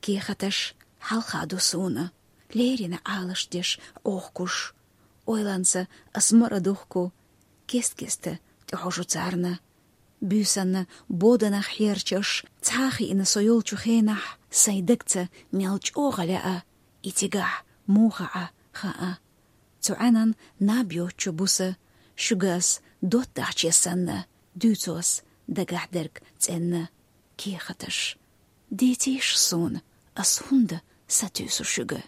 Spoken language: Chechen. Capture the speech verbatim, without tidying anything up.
Кехаташ хьалха ду суна, леррина Ӏалашдеш Ӏохкуш. Ойланца ас мара духку, кест-кеста тӀехьожу царна. Буьйсанна боданах хьерчаш, цхьа а хиъна со йолчу хенахь, сайн дагца мел чӀогӀа лаьа, и цигахь муха Ӏа хаьа. Цу Ӏаьнан наб йоцчу буса, шуьга ас доттагӀче санна, дуьйцу ас дагахь дерг цӀенна. Кехаташ, дийцийша суна, ас хӀунда сатуьйсу шуьга?